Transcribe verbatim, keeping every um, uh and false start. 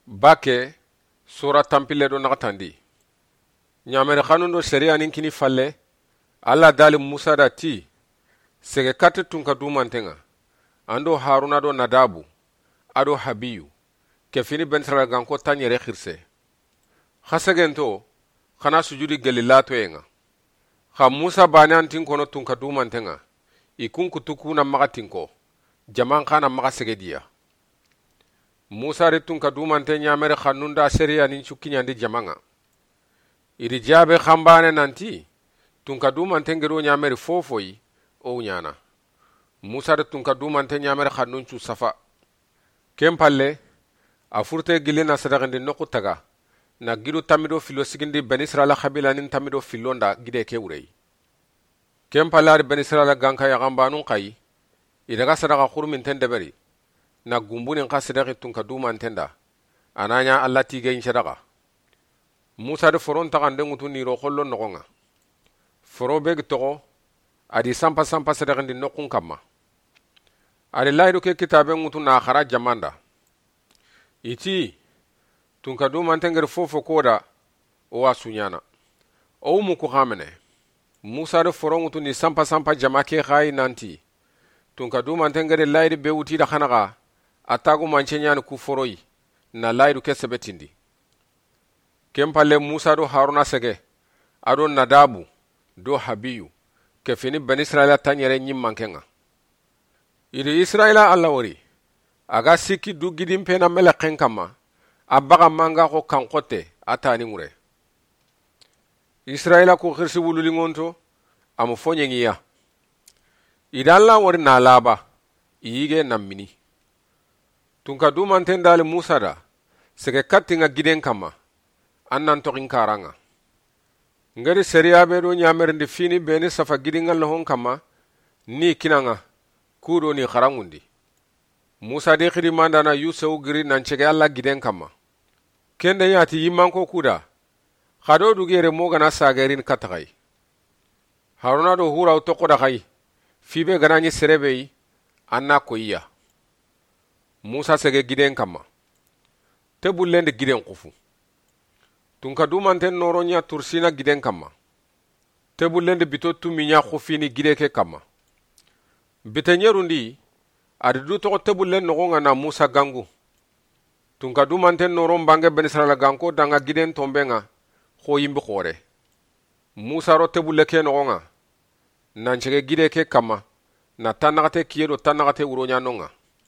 Bakke, sura tanpille do naxatandi. Ɲameri xanun do sariyanin kini falle, Alla dali Musa da ti, sege katti tunka dumanten ŋa, an do Haruna do Nadabu, a do Habiyu, ke fini Benisirayila ganko taɲere xirise. Xa segento, xa na sujudi gelli latoyen ŋa. Xa Musa bane an tin kono tunka dumanten ŋa, i kun kutu ku na maxa tinko, jaman xa na maxa segediya. Musa ri tunka dumante ɲameri xannun da sariyanin cukkiɲandi jaman ŋa. I ri jabe xanbane nanti, tunka dumanten ŋa do ɲameri fofoyi, o ɲana. Musa ri tunka dumante ɲameri xannun cu safa. Ken palle, a furte gilli na sadaqindi noxu taga, na gidu tammi do fillo sigindi Benisirayila xabilanin tammi do fillon da gide ke wureyi. Ken palle a ri Benisirayila ganka yaxanbanun xayi, i daga sadaqa xuruminten deberi, na gumbunin xa sadaqi tunka dumanten da, a na ɲa Alla tigeyin sadaqa. Musa di foron taxande ŋutu niro xollo noxon ŋa. Foro be gi toxo, a di sanpa sanpa sadaqindi noxun kanma. A di layidu ke kitabe ŋutu na xara jaman da. I ti, tunka dumanten ŋa ri fofo ko da, o wa su ɲana. O mu ku xamene. Musa di foro ŋutu ni sanpa sanpa jama ke xayi nanti, tunka dumanten ŋa ri layidi be wuti da xanaxa, a tagumance ɲani ku foroyi, na layidu ke sebetindi. Ken palle Musa do Haruna sege, a do Nadabu, do Habiyu, ke fini Benisirayila taɲere ɲimmanken ŋa. I ri Isirayila Alla wori, a ga sikki du gidin pena meleqen kanma, a baxa manga xo kan xotte, a tani ŋure. Isirayila ku xirisi wululingonto, a mu fo ɲeŋiya. I da Alla wori na laba, i yige na mini. Tunka dumanten dali Musa da, sege kattin ŋa giden kanma, an nan toxin karan ŋa. Ŋa ri sariya be do ɲamerindi fini beni safa gidin ŋa lohon kanma, ni kinan ŋa, ku do ni xaranŋundi. Musa di xidimandana Yusewu giri nan cege Alla giden kanma. Ken da ɲa ti yimmanko ku da, xa do dugi yere mo ga na sagerin katta xayi. Haruna do Hurawu toxo da xayi, fi be ga na ɲi sere be yi, an na koyiya. Musa sege giden kanma. Tebullen di giden xufu. Tunka dumanten noron ɲa Tursina giden kanma. Tebullen di bito tumi ɲa xufini gide ke kanma. Bite ɲerundi, a di du toxo tebullen noxon ŋa na Musa gangu. Tunka dumanten noron bange Benisirayila ganko da ŋa giden tonben ŋa, xo yimbi xore. Musa ro tebulle ke noxon ŋa, nan cege gide ke kanma, na tannaxate kiye do tannaxate wuro ɲanon ŋa.